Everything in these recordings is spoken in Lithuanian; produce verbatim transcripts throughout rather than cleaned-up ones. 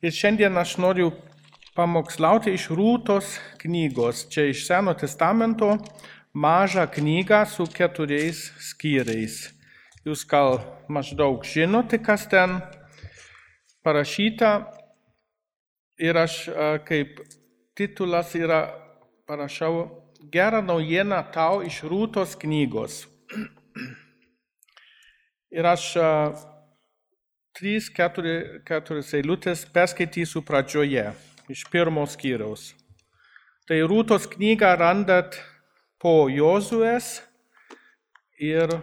Ir šiandien aš noriu pamokslauti iš Rūtos knygos. Čia iš Seno testamento mažą knygą su keturiais skyriais. Jūs gal maždaug žinote, kas ten parašyta. Ir aš kaip titulas yra parašau gerą naujieną tau iš Rūtos knygos. Ir aš trys, keturi, keturias eilutės perskaitysiu pradžioje, iš pirmos skyriaus. Tai Rūtos knygą randat po Jozuės ir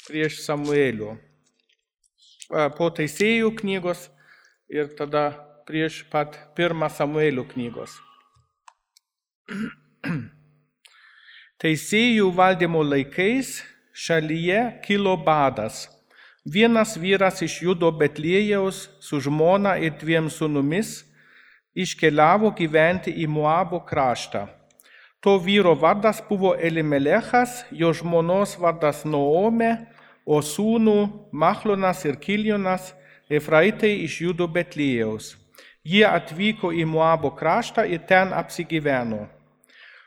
prieš Samuelių. Po Teisėjų knygos ir tada prieš pat pirmą Samuelių knygos. Teisėjų valdymo laikais šalyje kilo badas. Vienas vyras iš Judo Betliejaus su žmona ir dviem sūnumis iškeliavo gyventi į Moabo kraštą. To vyro vardas buvo Elimelechas, jo žmonos vardas Naomė, o sūnų Machlonas ir Kiljonas Efraitai iš Judo Betliejaus. Jie atvyko į Moabo kraštą ir ten apsigyveno.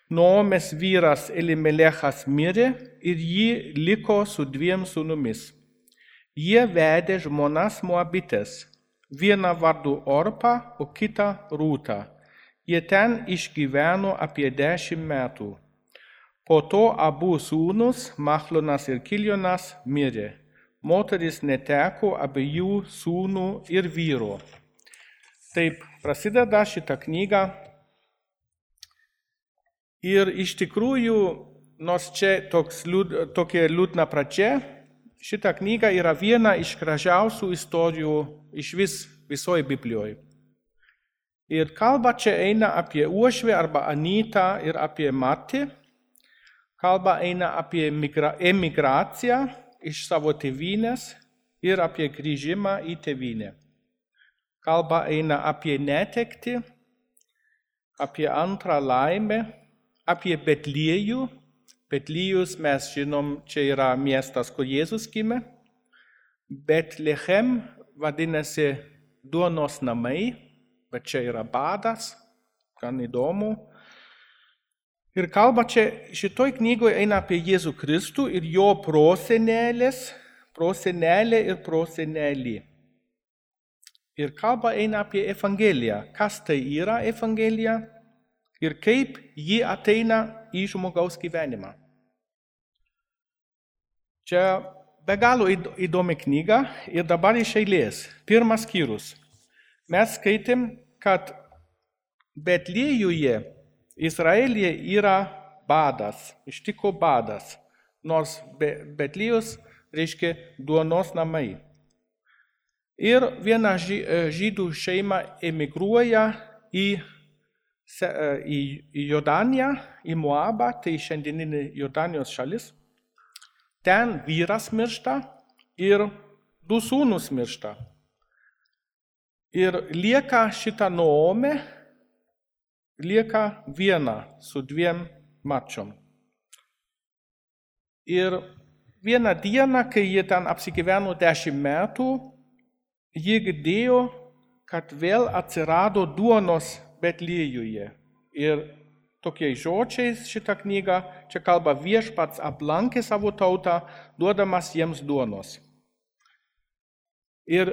Naomės vyras Elimelechas mirė ir ji liko su dviem sūnumis. Jie vedė žmonas Moabitės, vieną vardu Orpą, o kitą Rūtą. Jie ten išgyveno apie dešimt metų. Po to abu sūnus, Machlonas ir Kiljonas, mirė. Moteris neteko abiejų sūnų ir vyro. Taip prasideda šitą knygą. Ir iš tikrųjų, nors čia toks, tokia liūdna pradžia, šita knyga yra viena iš gražiausių istorijų iš vis, visoje Biblijoje. Ir kalba čia eina apie uošvę arba Anytą ir apie Matį. Kalba eina apie emigraciją iš savo tėvynės ir apie grįžimą į tėvynę. Kalba eina apie netektį, apie antrą laimę, apie Betliejų. Betliejus mes žinom, čia yra miestas, kur Jėzus gimė. Betlechem vadinasi duonos namai, bet čia yra badas, gan įdomu. Ir kalba čia šitoj knygoje eina apie Jėzų Kristų ir jo prosenelės, prosenelė ir prosenelį. Ir kalba eina apie Evangeliją. Kas tai yra Evangelija ir kaip ji ateina į žmogaus gyvenimą. Čia be galo įdomi knyga ir dabar iš eilės. Pirmas skyrius. Mes skaitėm, kad Betliejuje, Izraelyje yra badas, ištiko badas, nors Betliejus reiškia duonos namai. Ir viena žydų šeima emigruoja į, į, į Jordaniją, į Moabą, tai šiandieninė Jordanijos šalis. Ten vyras miršta ir du sūnus miršta. Ir lieka šita Naomė, lieka viena su dviem mačiom. Ir vieną dieną, kai jie ten apsigyveno dešimt metų, jie girdėjo, kad vėl atsirado duonos Betliejuje. Ir tokiais žodžiais šitą knygą, čia kalba viešpats aplankė savo tautą, duodamas jiems duonos. Ir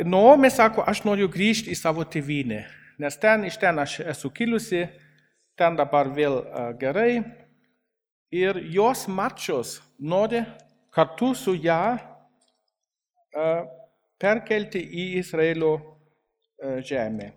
Naomė sako, aš noriu grįžti į savo tėvynę, nes ten iš ten aš esu kilusi, ten dabar vėl gerai. Ir jos mačios nori kartu su ją perkelti į Izraelio žemę.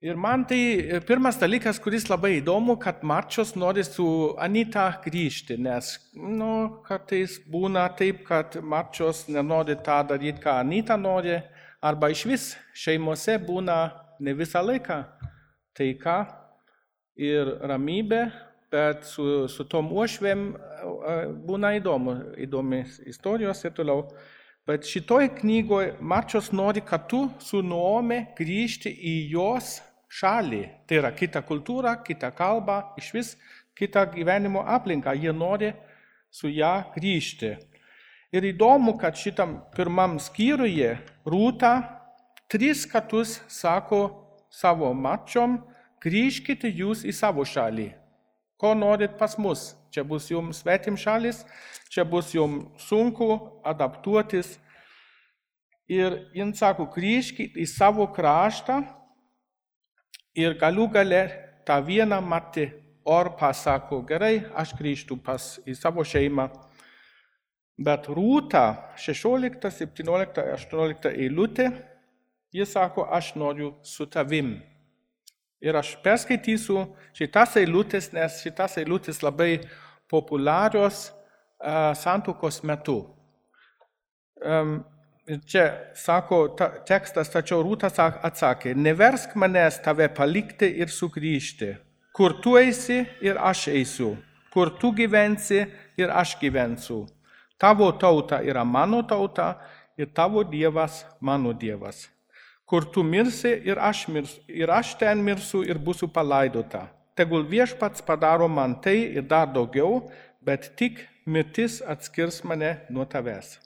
Ir man tai pirmas dalykas, kuris labai įdomu, kad mačios nori su Anyta grįžti, nes nu, kartais būna taip, kad mačios nenori tą daryti, ką Anyta nori, arba iš vis šeimose būna ne visą laiką taika ir ramybė, bet su, su tom uošvėm būna įdomu, įdomis istorijos ir toliau. Bet šitoj knygoje mačios nori kartu su Naomė grįžti į jos šalį. Tai yra kita kultūra, kita kalba, iš vis kita gyvenimo aplinka. Jie nori su ją grįžti. Ir įdomu, kad šitam pirmam skyriuje Rūta tris kartus sako savo mačiom, grįžkite jūs į savo šalį. Ko norit pas mus? Čia bus jums svetim šalis, čia bus jums sunku adaptuotis. Ir jin sako, grįžkite į savo kraštą ir galų gale tą vieną matį Orpa sako, gerai, aš grįžtu pas į savo šeimą. Bet Rūta, šešiolikta, septyniolikta, aštuoniolikta eilutė, jis sako, aš noriu su tavim. Ir aš perskaitysiu šitas eilutės, nes šitas eilutės labai populiarios uh, santuokos metu. Um, čia sako ta, tekstas, tačiau Rūta atsakė, neversk manęs tave palikti ir sugrįžti. Kur tu eisi ir aš eisiu, kur tu gyvensi ir aš gyvensiu. Tavo tauta yra mano tauta ir tavo dievas mano dievas. Kur tu mirsi ir aš, mirsiu, ir aš ten mirsiu ir būsiu palaidota. Tegul viešpats padaro man tai ir dar daugiau, bet tik mirtis atskirs mane nuo tavęs.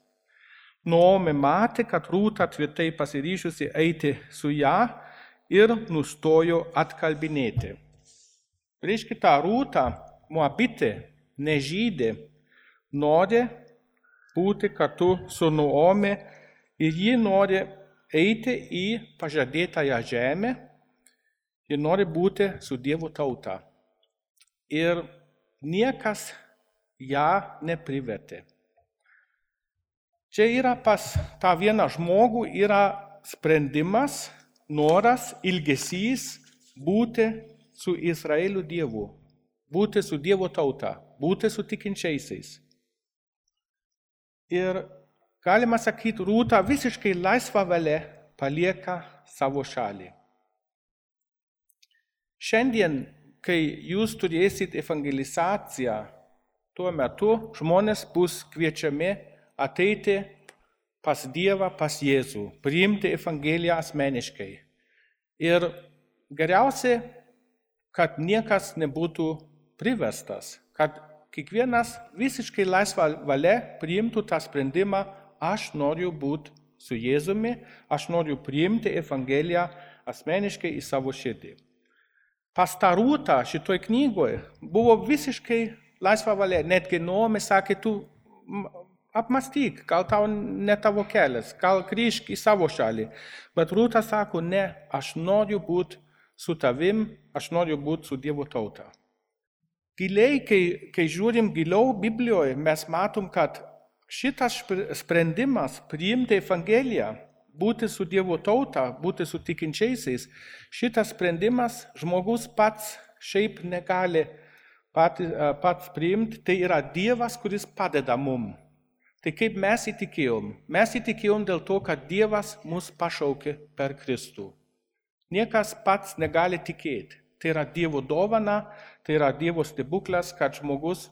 Naomė matė, kad Rūta tvirtai pasiryžusi eiti su ją ir nustojo atkalbinėti. Reiškia, ta Rūta, Moabitė, nežydė, nori būti kartu su Naomė ir ji nori eiti į pažadėtąją žemę ir nori būti su Dievo tauta. Ir niekas ją neprivertė. Čia yra pas tą vieną žmogų yra sprendimas, noras, ilgesys būti su Izraelio Dievu, būti su Dievo tauta, būti su tikinčiaisiais. Ir galima sakyti, Rūta visiškai laisva valia palieka savo šalį. Šiandien, kai jūs turėsit evangelizaciją, tuo metu žmonės bus kviečiami ateiti pas Dievą, pas Jėzų, priimti evangeliją asmeniškai. Ir geriausia, kad niekas nebūtų priverstas, kad kiekvienas visiškai laisva valia priimtų tą sprendimą, aš noriu būti su Jėzumi, aš noriu priimti evangeliją asmeniškai į savo širdį. Pas tą Rūtą šitoj knygoje buvo visiškai laisva valia, netgi Naomė sakė, tu apmąstyk, gal tau ne tavo kelias, gal grįžk į savo šalį. Bet Rūta sako, ne, aš noriu būti su tavim, aš noriu būti su Dievo tauta. Giliai, kai, kai žiūrim giliau Biblijoje, mes matom, kad šitas sprendimas priimti evangeliją, būti su Dievo tauta, būti su tikinčiaisiais, šitas sprendimas žmogus pats šiaip negali pats, pats priimti, tai yra Dievas, kuris padeda mum. Tai kaip mes įtikėjom? Mes įtikėjom dėl to, kad Dievas mus pašaukė per Kristų. Niekas pats negali tikėti. Tai yra Dievo dovana, tai yra Dievo stebuklas, kad žmogus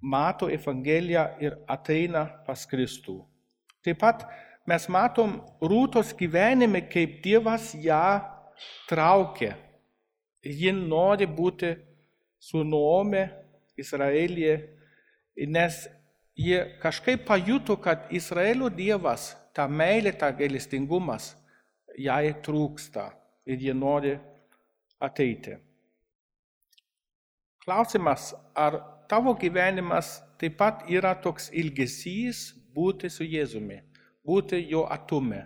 mato evangeliją ir ateina pas Kristų. Taip pat mes matom Rūtos gyvenime, kaip Dievas ją traukia. Ji nori būti su Naomė Izraelyje, nes jie kažkaip pajuto, kad Izraelio Dievas, ta meilė, ta gailestingumas, jai trūksta ir jie nori ateiti. Klausimas, ar tavo gyvenimas taip pat yra toks ilgesys būti su Jėzumi, būti jo atume.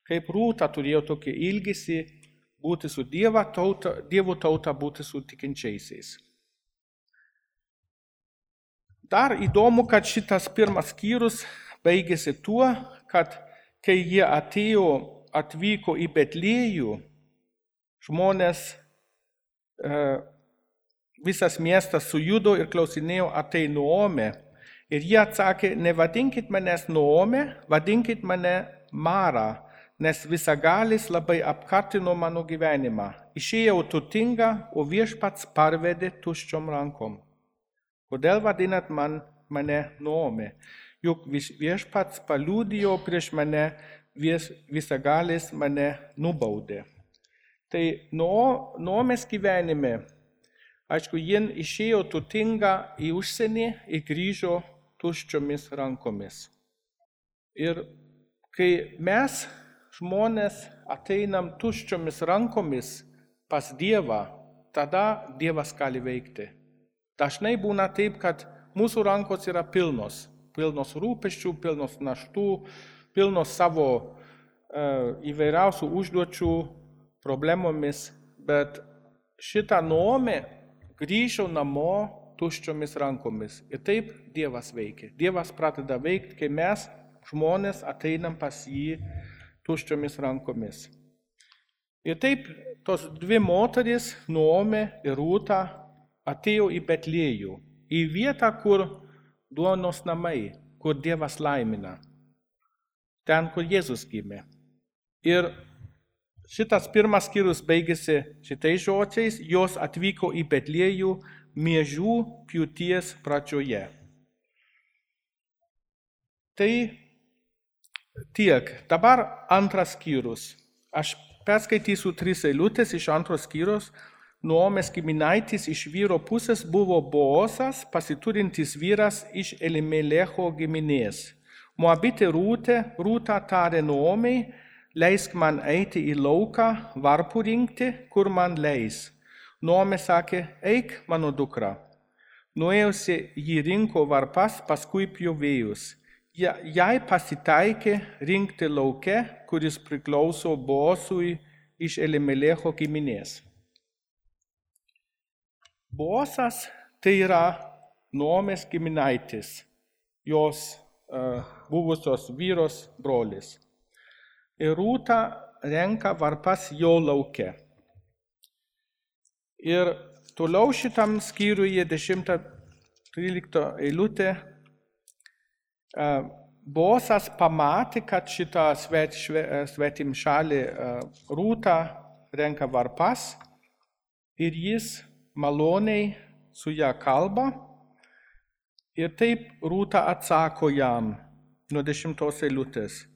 Kaip Rūta turėjo tokį ilgesį būti su Dievo tauta, Dievo tauta būti su tikinčiaisiais. Dar įdomu, kad šitas pirmas skyrius baigėsi tuo, kad kai jie atėjo, atvyko į Betliejų, žmonės, e, visas miestas sujudo ir klausinėjo, ar tai Naomė. Ir jie atsakė, nevadinkit manęs Naomė, vadinkit mane Mara, nes visagalis labai apkartino mano gyvenimą. Išėjau turtinga, o viešpats parvedė tuščiom rankom. Kodėl vadinat man, mane Naomė? Juk viešpats paliudijo prieš mane, vis, visagalis mane nubaudė. Tai Naomės gyvenime, aišku, jin išėjo turtinga į užsienį ir grįžo tuščiomis rankomis. Ir kai mes, žmonės, ateinam tuščiomis rankomis pas Dievą, tada Dievas gali veikti. Dažnai būna taip, kad mūsų rankos yra pilnos, pilnos rūpesčių, pilnos naštų, pilnos savo uh, įvairiausių užduočių, problemomis, bet šitą Naomė grįžo namo tuščiomis rankomis. Ir taip Dievas veikia. Dievas pradeda veikti, kai mes, žmonės, ateinam pas jį tuščiomis rankomis. Ir taip tos dvi moterys, Naomė ir Rūta, atėjo į Betliejų, į vietą, kur duonos namai, kur Dievas laimina, ten, kur Jėzus gimė. Ir šitas pirmas skyrius baigėsi šitais žodžiais, jos atvyko į Betliejų miežių pjūties pradžioje. Tai tiek. Dabar antras skyrius. Aš perskaitysiu tris eilutės iš antros skyrius. Naomės giminaitis iš vyro pusės buvo Boozas, pasiturintis vyras iš Elimelecho giminės. Moabitė Rūtė, Rūta tarė Naomei, leisk man eiti į lauką, varpų rinkti, kur man leis. Naomė sakė, eik, mano dukra. Nuėjusi jį rinko varpas, paskui pjovėjus. Jai pasitaikė rinkti lauke, kuris priklauso Boozui iš Elimelecho giminės. Boozas tai yra Naomės giminaitis, jos uh, buvusios vyros brolis. Ir Rūta renka varpas jo lauke. Ir toliau šitam skyriuje dešimta trylikta eilutė uh, Boozas pamatė, kad šitą svet, svetimšalį uh, Rūta renka varpas ir jis maloniai su ją kalba ir taip Rūta atsako jam nuo dešimtos eilutės.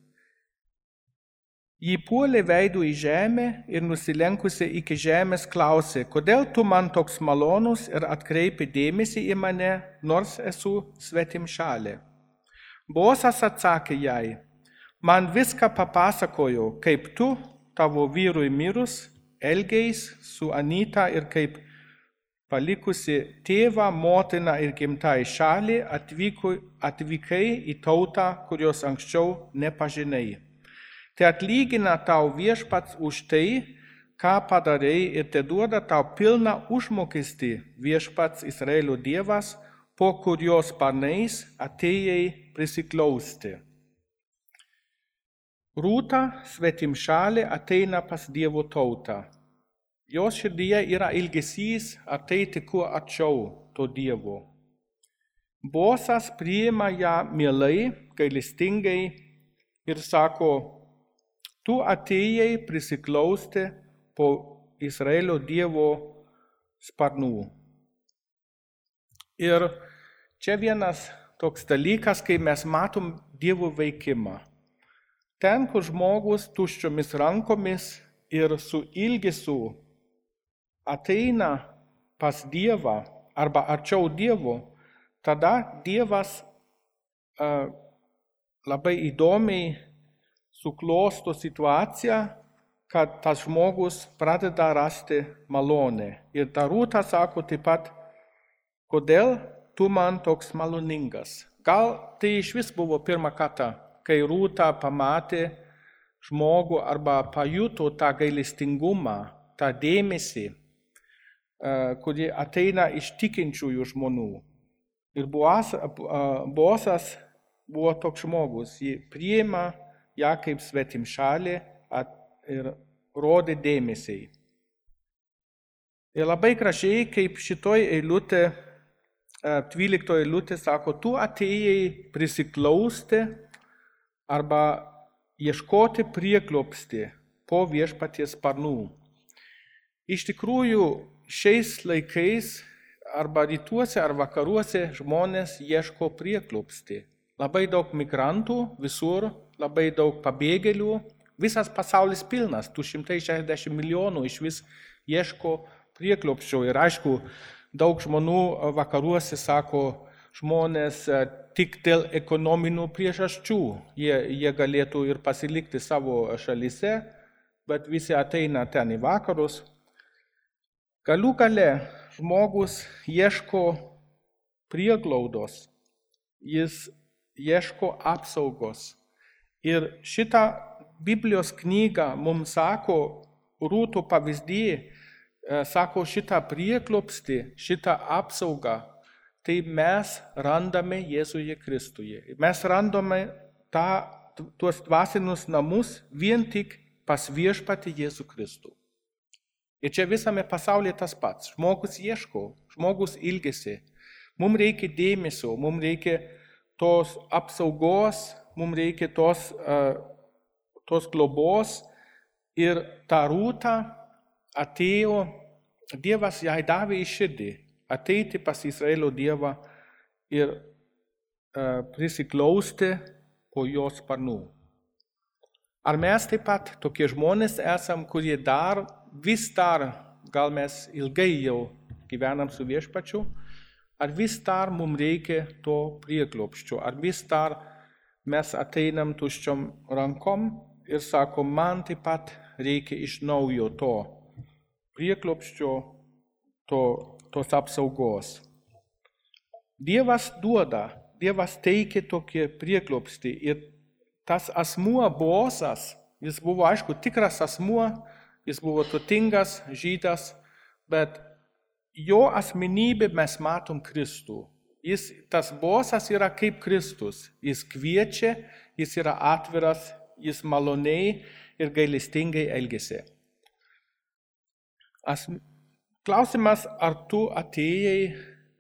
Ji puolė veidu į žemę ir nusilenkusi iki žemės klausė, kodėl tu man toks malonus ir atkreipi dėmesį į mane, nors esu svetimšalė. Boozas atsakė jai, man viską papasakojo, kaip tu, tavo vyrui mirus, elgeis su Anita ir kaip palikusi tėvą, motiną ir gimtąją šalį, atvyko, atvykai į tautą, kurios anksčiau nepažinai. Tai atlygina tau viešpats už tai, ką padarai ir te duoda tau pilną užmokestį viešpats Izraelio Dievas, po kurios sparnais atėjai prisiklausti. Rūta, svetimšalė, ateina pas Dievo tautą. Jos širdyje yra ilgesys ateiti kuo arčiau to Dievo. Boozas priima ją mielai, gailestingai ir sako, tu atėjai prisiklausti po Izraelio Dievo sparnų. Ir čia vienas toks dalykas, kai mes matom Dievo veikimą. Ten, kur žmogus tuščiomis rankomis ir su ilgesiu ateina pas Dievą arba arčiau Dievo, tada Dievas uh, labai įdomiai suklosto situaciją, kad tas žmogus pradeda rasti malonę. Ir ta Rūta sako taip pat, kodėl tu man toks maloningas. Gal tai iš vis buvo pirmą kartą, kai Rūta pamatė žmogų arba pajuto tą gailestingumą, tą dėmesį, kuri ateina iš tikinčiųjų žmonių. Ir Boozas buvo toks žmogus, jį priima ją kaip svetimšalė ir rodė dėmesį. Ir labai gražiai, kaip šitoj eilutė, dvyliktoje eilutė sako, tu atėjai prisiklausti arba ieškoti prieglobstį po viešpaties sparnų. Iš tikrųjų, šiais laikais arba rytuose ar vakaruose žmonės ieško prieglobstį. Labai daug migrantų visur, labai daug pabėgėlių, visas pasaulis pilnas, du šimtai šešiasdešimt milijonų iš vis ieško prieglobsčio. Ir aišku, daug žmonių vakaruose sako, žmonės tik dėl ekonominių priežasčių. Jie, jie galėtų ir pasilikti savo šalyse, bet visi ateina ten į vakarus. Galų gale žmogus ieško prieglaudos, jis ieško apsaugos. Ir šitą Biblijos knygą mums sako, Rūto pavyzdį, sako šitą prieglobstį, šitą apsaugą, tai mes randame Jėzuje Kristuje. Mes randame tą, tuos dvasinius namus vien tik pas viešpatį Jėzų Kristų. Ir čia visame pasaulyje tas pats. Žmogus ieško, žmogus ilgisi. Mums reikia dėmesio, mums reikia tos apsaugos, mums reikia tos, uh, tos globos. Ir ta Rūta atėjo, Dievas jai davė į širdį, ateiti pas Izraelio Dievą ir uh, prisiklausti po jos sparnų. Ar mes taip pat tokie žmonės esam, kurie dar, vis dar, gal mes ilgai jau gyvenam su viešpačiu, ar vis dar mums reikia to prieglobsčio, ar vis dar mes ateinam tuščiom rankom ir sakom, man taip pat reikia iš naujo to prieglobsčio, to, tos apsaugos. Dievas duoda, Dievas teikia tokį prieglobstį ir tas asmuo Boazas, jis buvo, aišku, tikras asmuo, jis buvo turtingas žydas, bet jo asmenybė mes matom Kristų. Jis, tas Boazas yra kaip Kristus. Jis kviečia, jis yra atviras, jis maloniai ir gailestingai elgiasi. As, klausimas, ar tu atėjai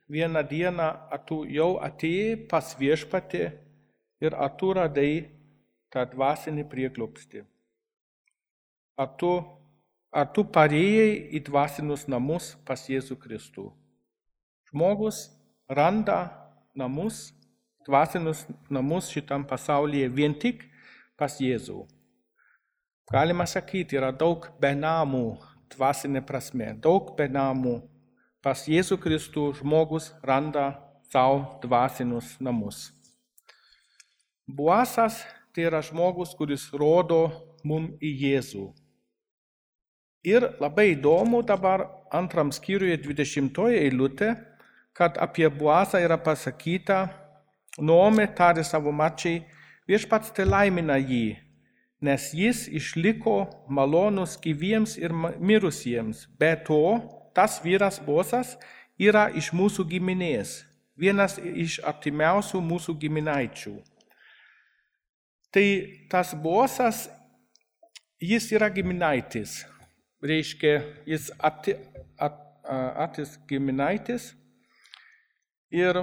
vieną dieną, ar tu jau atėjai pas viešpatį ir ar tu radai tą dvasinį prieglobstį. Ar tu, ar tu parėjai į dvasinius namus pas Jėzų Kristų. Žmogus randa namus, dvasinius namus šitam pasaulyje vien tik pas Jėzų. Galima sakyti, yra daug benamų dvasinė prasme, daug benamų. Pas Jėzų Kristų žmogus randa savo dvasinius namus. Boazas tai yra žmogus, kuris rodo mum į Jėzų. Ir labai įdomu dabar antram skyriuje dvidešimtoje eilutė, kad apie Boazą yra pasakyta, Naomė tarė savo marčiai, viešpats te laimina jį, nes jis išliko malonus gyviems ir mirusiems. Be to, tas vyras Boazas yra iš mūsų giminės, vienas iš artimiausių mūsų giminaičių. Tai tas Boazas, jis yra giminaitis, reiškia, jis ati, at, atis giminaitis. Ir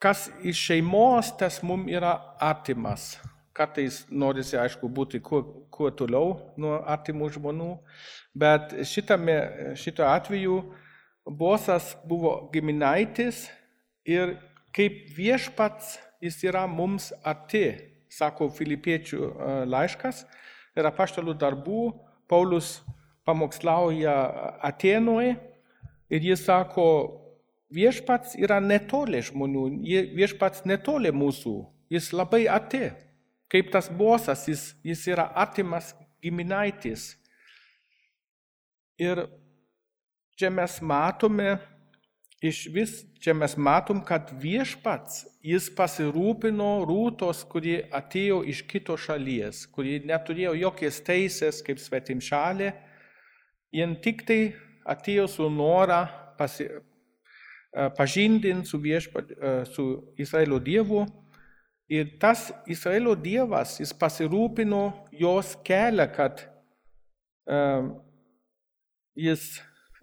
kas iš šeimos, tas mums yra artimas. Kartais norisi, aišku, būti kuo, kuo toliau nuo artimų žmonių, bet šitame, šito atveju Boazas buvo giminaitis ir kaip viešpats jis yra mums arti, sako Filipiečių laiškas ir apaštalų darbų. Paulius pamokslauja Atėnoje ir jis sako, viešpats yra netoli žmonių, viešpats netoli mūsų, jis labai arti. Kaip tas Boazas, jis, jis yra artimas giminaitis. Ir čia mes matome, iš vis čia mes matom, kad viešpats, jis pasirūpino Rūtos, kuri atėjo iš kito šalies, kuri neturėjo jokios teisės kaip svetimšalė, jin tik tai atėjo su norą pasi, pažindinti su, viešpat, su Izraelio Dievu. Ir tas Izraelio Dievas, jis pasirūpino jos kelią, kad um, jis,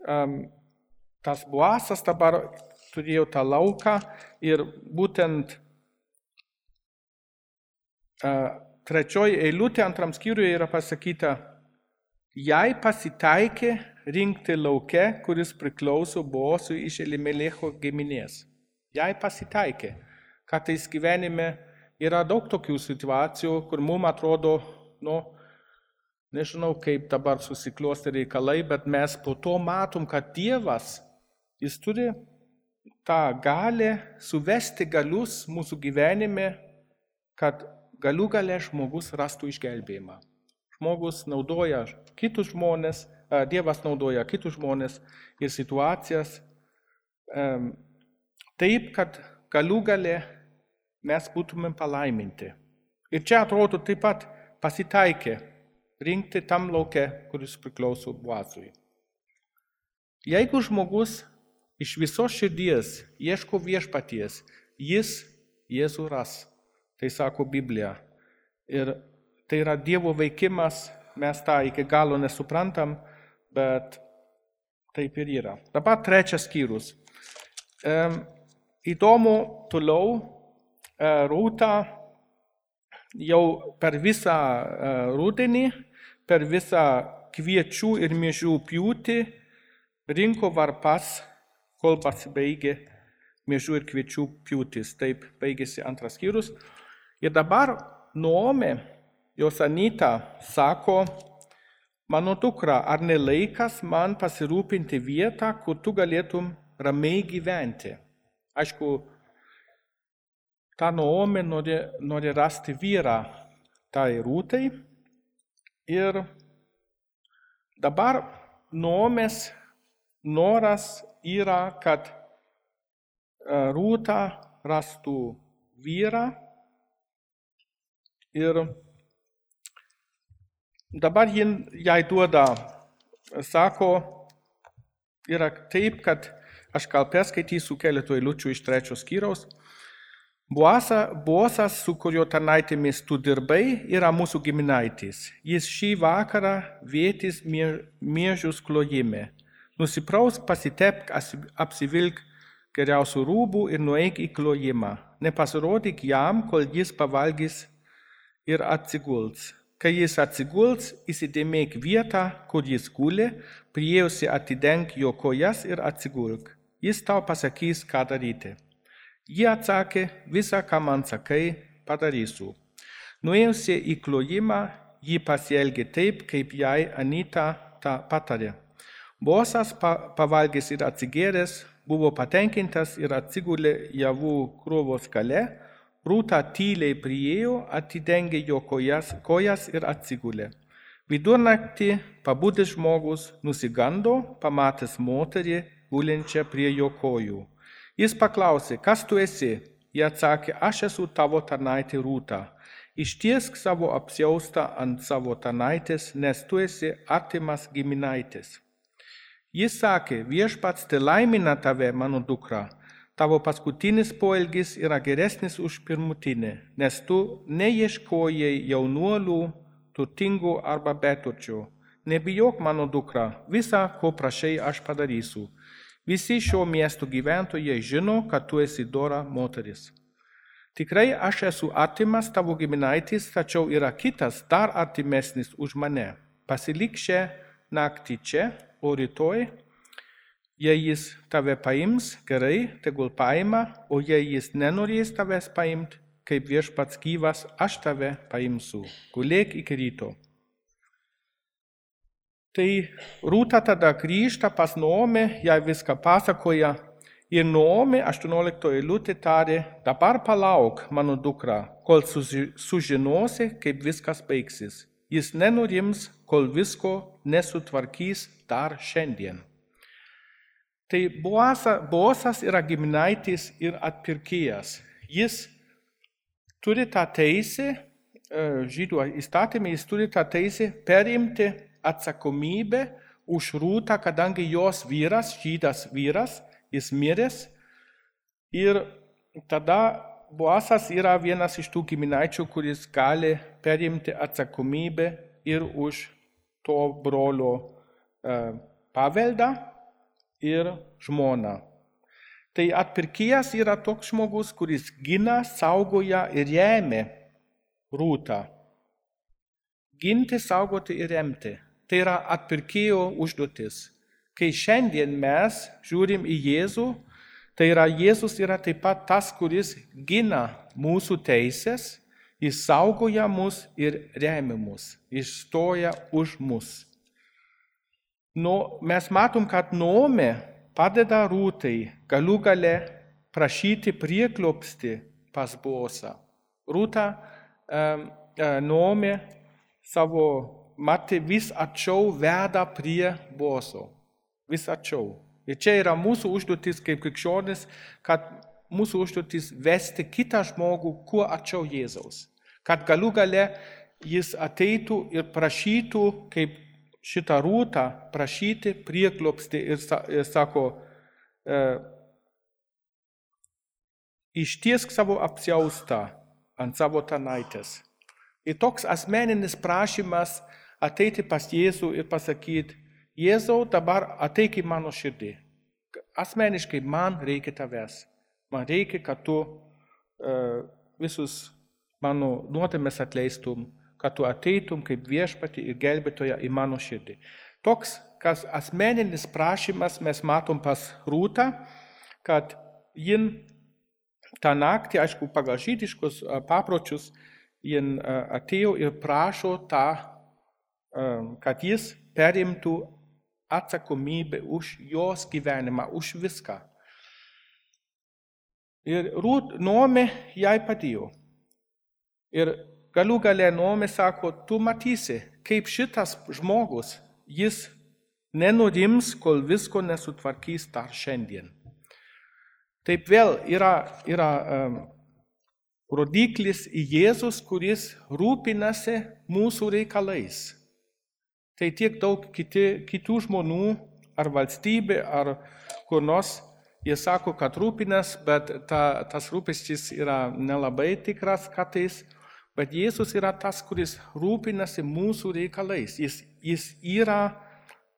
um, tas Boazas dabar turėjo tą lauką ir būtent uh, trečioji eilutė antram skyriuje yra pasakyta, jai pasitaikė rinkti lauke, kuris priklauso Boazui iš Elimelecho giminės. Jai pasitaikė. Kartais gyvenime yra daug tokių situacijų, kur mums atrodo, nu, nežinau kaip dabar susiklosti reikalai, bet mes po to matom, kad Dievas, jis turi tą galę suvesti galius mūsų gyvenime, kad galų gale žmogus rastų išgelbėjimą. Žmogus naudoja kitus žmonės, Dievas naudoja kitus žmonės ir situacijas taip, kad galų gale mes būtumėm palaiminti. Ir čia atrodo taip pat pasitaikė rinkti tam lauke, kuris priklauso Boazui. Jeigu žmogus iš visos širdies ieško viešpaties, jis Jėzų ras. Tai sako Biblija. Ir tai yra Dievo veikimas, mes tą iki galo nesuprantam, bet taip ir yra. Dabar trečias skyrius. E, įdomu toliau, e, Rūta jau per visą e, rudenį, per visą kviečių ir miežių pjūtį rinko varpas, kol pasibaigė miežių ir kviečių pjūtis. Taip baigėsi antras skyrius. Ir dabar Naomė, jos Anyta, sako, mano dukra, ar ne laikas man pasirūpinti vietą, kur tu galėtum ramiai gyventi? Aišku, ta Naomė nori, nori rasti vyrą tai Rūtai. Ir dabar Naomės noras yra, kad Rūta rastų vyrą. Ir dabar jai duoda, sako, yra taip, kad aš gal perskaitysiu keletą eilučių iš trečios skyriaus. Boazas, su kurio tarnaitėmis tu dirbai, yra mūsų giminaitis. Jis šį vakarą vėtys miežius klojime. Nusiprausk, pasitepk, apsivilk geriausių rūbų ir nueik į klojimą. Nepasirodyk jam, kol jis pavalgys ir atsiguls. Kai jis atsiguls, įsidėmėk vietą, kur jis guli, priėjusi atidenk jo kojas ir atsigulk. Jis tau pasakys, ką daryti. Ji atsakė, visą, ką man sakai, padarysiu. Nuėjusi į klojimą, ji pasielgė taip, kaip jai Anyta tą patarė. Boazas pavalgęs ir atsigėręs, buvo patenkintas ir atsigulė javų krūvos gale. Rūta tyliai priėjo, atidengė jo kojas, kojas ir atsigulė. Vidurnaktį pabudęs žmogus nusigando, pamatęs moterį gulinčią prie jo kojų. Jis paklausė, kas tu esi? Ji atsakė, aš esu tavo tarnaitė Rūta. Ištiesk savo apsiaustą ant savo tarnaitės, nes tu esi artimas giminaitis. Jis sakė, viešpats telaimina tave, mano dukra. Tavo paskutinis poelgis yra geresnis už pirmutinį, nes tu neieškojai jaunuolių, turtingų arba beturčių. Nebijok, mano dukra, visą, ko prašai, aš padarysiu. Visi šio miesto gyventojai žino, kad tu esi dora moteris. Tikrai aš esu artimas tavo giminaitis, tačiau yra kitas, dar artimesnis už mane. Pasilik šią naktį čia, o rytoj, jei jis tave paims, gerai, tegul paima, o jei jis nenorės tavęs paimti, kaip viešpats gyvas, aš tave paimsiu. Gulėk iki ryto. Tai Rūta tada grįžta pas Naomę, jai viską pasakoja. Ir Naomė aštuonioliktoji eilutė tarė, dabar palauk, mano dukra, kol sužinosi, kaip viskas baigsis. Jis nenurims, kol visko nesutvarkys dar šiandien. Tai Boazas yra giminaitis ir atpirkėjas. Jis turi tą teisę, žydų įstatymė, jis turi tą teisę perimti atsakomybę už Rūtą, kadangi jos vyras, žydas vyras, jis miręs. Ir tada Boazas yra vienas iš tų giminaičių, kuris gali perimti atsakomybę ir už to brolio paveldą ir žmona. Tai atpirkėjas yra toks žmogus, kuris gina, saugoja ir remia Rūtą. Ginti, saugoti ir remti. Tai yra atpirkėjo užduotis. Kai šiandien mes žiūrim į Jėzų, tai yra Jėzus yra taip pat tas, kuris gina mūsų teisės, jis saugoja mus ir remia mus, jis stoja už mus. No, mes matom, kad Naomė padeda Rūtai galų gale prašyti prieglobstį pas Bosą. Rūta um, Naomi savo matė vis arčiau veda prie Boso. Vis arčiau. Ir čia yra mūsų užduotis kaip krikščionis, kad mūsų užduotis vesti kitą žmogų kuo arčiau Jėzaus. Kad galų gale jis ateitų ir prašytų, kaip šitą Rūtą, prašyti prieglobstį ir, ir sako, e, ištiesk savo apsiaustą ant savo tarnaitės. Ir toks asmeninis prašymas ateiti pas Jėzų ir pasakyti, Jėzau, dabar ateik į mano širdį. Asmeniškai man reikia tavęs. Man reikia, kad tu uh, visus mano nuodėmes atleistum, kad tu ateitum kaip viešpatį ir gelbėtoją į mano širdį. Toks, kas asmeninis prašymas mes matom pas Rūtą, kad jin tą naktį, aišku, pagal žydiškus uh, papročius, jin uh, atėjo ir prašo tą, uh, kad jis perimtų atsakomybę už jos gyvenimą, už viską. Ir Rūt, Naomi jai padėjo. Ir galų gale Naomi sako, tu matysi, kaip šitas žmogus, jis nenurims, kol visko nesutvarkys dar šiandien. Taip vėl yra, yra um, rodiklis į Jėzus, kuris rūpinasi mūsų reikalais. Tai tiek daug kiti, kitų žmonių, ar valstybė, ar kur nors, jie sako, kad rūpinas, bet ta, tas rūpestis yra nelabai tikras kartais, bet Jėzus yra tas, kuris rūpinasi mūsų reikalais. Jis, jis yra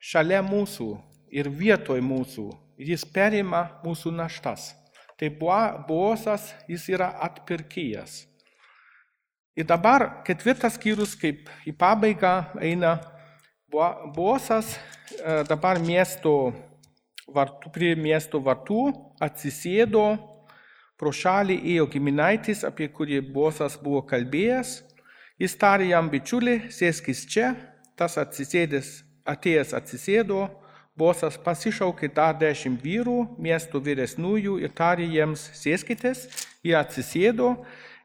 šalia mūsų ir vietoj mūsų. Jis perima mūsų naštas. Tai Bosas, jis yra atpirkėjas. Ir dabar ketvirtas skyrius, kaip į pabaigą eina, Bosas dabar miesto vartų, prie miesto vartų atsisėdo, pro šalį ėjo giminaitis, apie kurį Bosas buvo kalbėjęs. Jis tarė jam, bičiuli, sėskis čia, tas atsisėdęs, atėjęs atsisėdo, Bosas pasišaukė dar dešimt vyrų, miesto vyresnųjų ir tarė jiems, sėskitės, jie atsisėdo.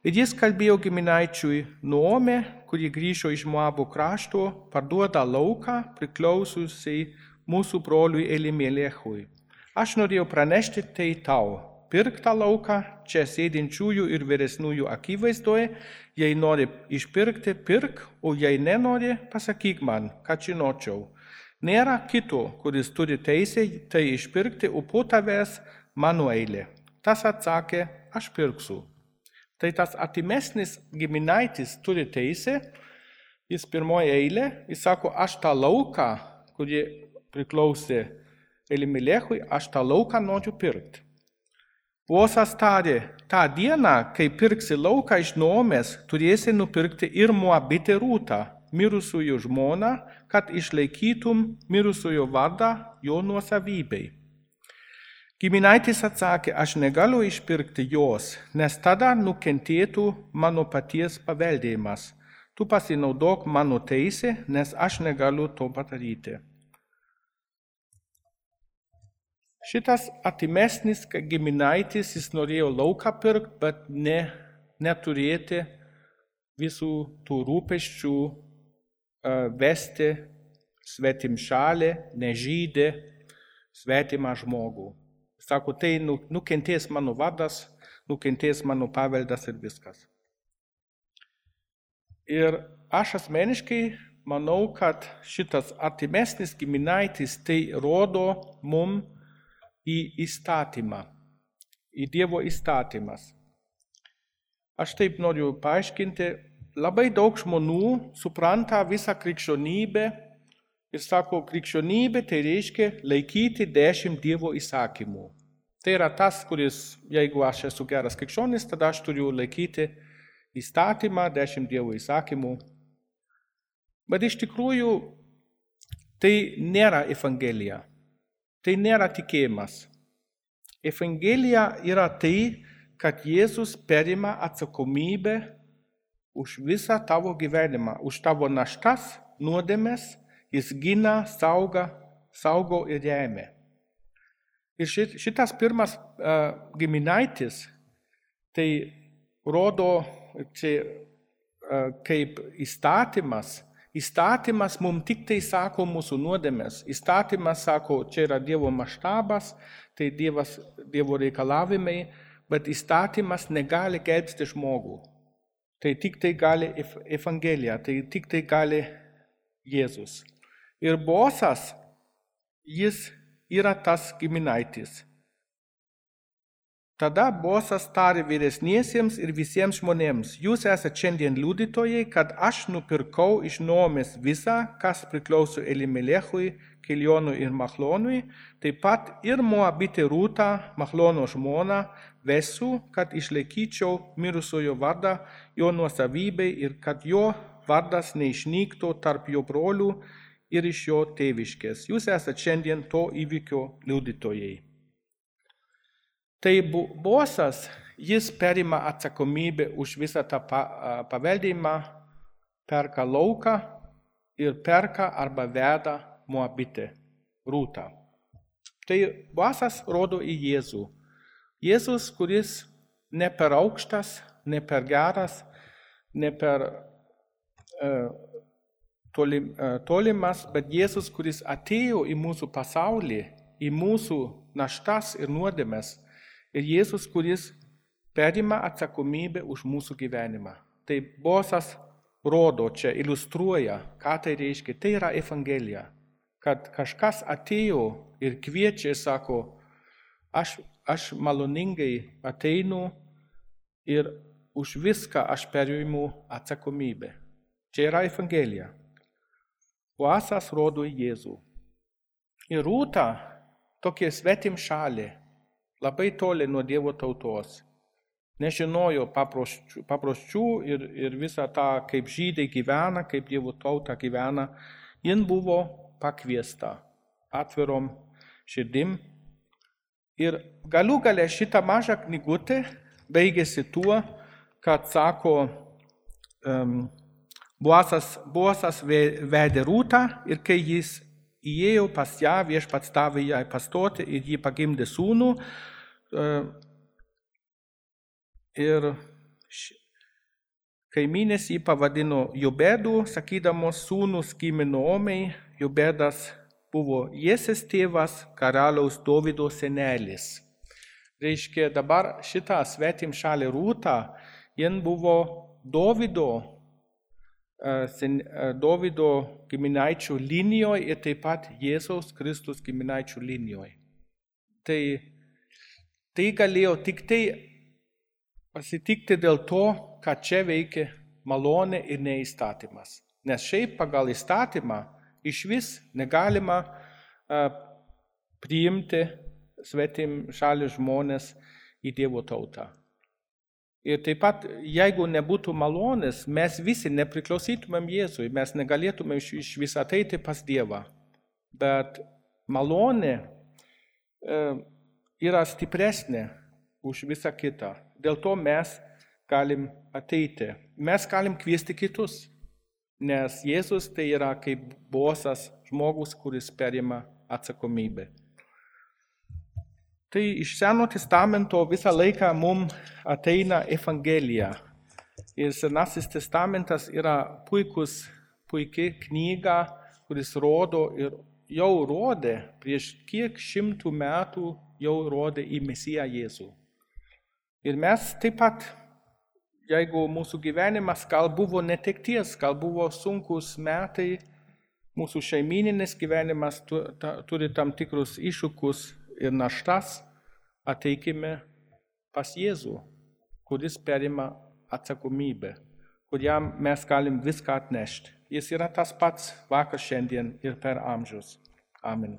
Ir jis kalbėjo giminaičiui, Naomi, kuri grįžo iš Moabo krašto, parduoda lauką priklausiusiai mūsų broliui Elimelechui. Aš norėjau pranešti tai tau, pirk tą lauką čia sėdinčiųjų ir vyresnųjų akivaizdoje, jei nori išpirkti, pirk, o jei nenori, pasakyk man, kad žinočiau. Nėra kito, kuris turi teisę tai išpirkti, o po tavęs mano eilė. Tas atsakė, aš pirksiu. Tai tas artimesnis giminaitis turi teisę, jis pirmoje eilė, jis sako, aš tą lauką, kurį priklausė Elimelechui, aš tą lauką noriu pirkti. Bosas tarė, tą dieną, kai pirksi lauką iš Naomės, turėsi nupirkti ir Moabitę Rūtą, mirusiųjų žmoną, kad išlaikytum mirusiojo vardą jo nuosavybei. Giminaitis atsakė, aš negaliu išpirkti jos, nes tada nukentėtų mano paties paveldėjimas. Tu pasinaudok mano teisę, nes aš negaliu to padaryti. Šitas artimesnis giminaitis, jis norėjo lauką pirkti, bet ne, neturėti visų tų rūpesčių uh, vesti svetimšalį, nežydį, svetimą žmogų. Sako, tai nukentės mano vardas, nukentės mano paveldas ir viskas. Ir aš asmeniškai manau, kad šitas artimesnis giminaitis tai rodo mum į įstatymą, į Dievo įstatymas. Aš taip noriu paaiškinti, labai daug žmonių supranta visą krikščionybę ir sako, krikščionybė tai reiškia laikyti dešimt Dievo įsakymų. Tai yra tas, kuris, jeigu aš esu geras krikščionis, tada aš turiu laikyti įstatymą, dešimt Dievo įsakymų. Bet iš tikrųjų tai nėra evangelija, tai nėra tikėjimas. Evangelija yra tai, kad Jėzus perima atsakomybę už visą tavo gyvenimą, už tavo naštas, nuodėmes, jis gina, sauga, saugo ir remia. Ir šitas pirmas uh, giminaitis, tai rodo čia uh, kaip įstatymas. Įstatymas mums tik tai sako mūsų nuodėmes. Įstatymas sako, čia yra Dievo maštabas, tai dievas, Dievo reikalavimai, bet įstatymas negali gelbsti žmogų. Tai tik tai gali Evangelija, tai tik tai gali Jėzus. Ir Bosas, jis yra tas giminaitis. Tada Bosas tarė vyresniesiems ir visiems žmonėms, jūs esate šiandien liudytojai, kad aš nupirkau iš Naomės visą, kas priklauso Elimelechui, Kilionui ir Machlonui, taip pat ir Moabitę Rūtą, Machlono žmoną, vesiu, kad išlaikyčiau mirusiojo vardą jo nuosavybei ir kad jo vardas neišnyktų tarp jo brolių ir iš jo tėviškės. Jūs esate šiandien to įvykio liudytojai. Tai Bosas, jis perima atsakomybę už visą tą paveldėjimą, perka lauką ir perka arba veda Moabitę Rūtą. Tai Bosas rodo į Jėzų. Jėzus, kuris ne per aukštas, ne per geras, ne per uh, tolim, uh, tolimas, bet Jėzus, kuris atėjo į mūsų pasaulį, į mūsų naštas ir nuodėmes. Ir Jėzus, kuris perima atsakomybę už mūsų gyvenimą. Tai Bosas rodo čia, iliustruoja, ką tai reiškia. Tai yra Evangelija. Kad kažkas atėjo ir kviečia, sako, aš, aš maloningai ateinu ir už viską aš perimu atsakomybę. Čia yra Evangelija. Bosas rodo į Jėzų. Ir Rūta, tokie svetim šalį, labai toli nuo Dievo tautos. Nežinojo paprasčių, paprasčių ir, ir visą tą, kaip žydai gyvena, kaip Dievo tauta gyvena. Jin buvo pakviesta atvirom širdim. Ir galų gale šitą mažą knygutę baigėsi tuo, kad sako, um, Bosas, Bosas vedė Rūtą ir kai jis įėjo pas ją, viešpats davė jai pastoti ir jį pagimdė sūnų. Ir kaimynės jį pavadino Jobedu, sakydamos sūnus gimė Naomei. Jobedas buvo Jesės tėvas, karaliaus Dovydo senelis. Reiškia, dabar šitą svetim šalį Rūtą, jin buvo Dovydo Dovydo giminaičių linijoje ir taip pat Jėzaus Kristus giminaičių linijoje. Tai, tai galėjo tik tai pasitikti dėl to, kad čia veikia malonė ir neįstatymas. Nes šiaip pagal įstatymą iš vis negalima uh, priimti svetim šalių žmonės į Dievo tautą. Ir taip pat, jeigu nebūtų malonės, mes visi nepriklausytumėm Jėzui, mes negalėtumėm iš vis ateiti pas Dievą. Bet malonė e, yra stipresnė už visą kitą. Dėl to mes galim ateiti. Mes galim kviesti kitus, nes Jėzus tai yra kaip Bosas žmogus, kuris perima atsakomybę. Tai iš Seno testamento visą laiką mums ateina Evangelija. Ir Senasis testamentas yra puikus, puikiai knyga, kuris rodo ir jau rodė, prieš kiek šimtų metų jau rodė į Mesiją Jėzų. Ir mes taip pat, jeigu mūsų gyvenimas gal buvo netekties, gal buvo sunkus metai, mūsų šeimininis gyvenimas turi tam tikrus iššūkius ir naštas, ateikime pas Jėzų, kuris perima atsakomybę, kuriam mes galim viską atnešti. Jis yra tas pats vakar, šiandien ir per amžius. Amen.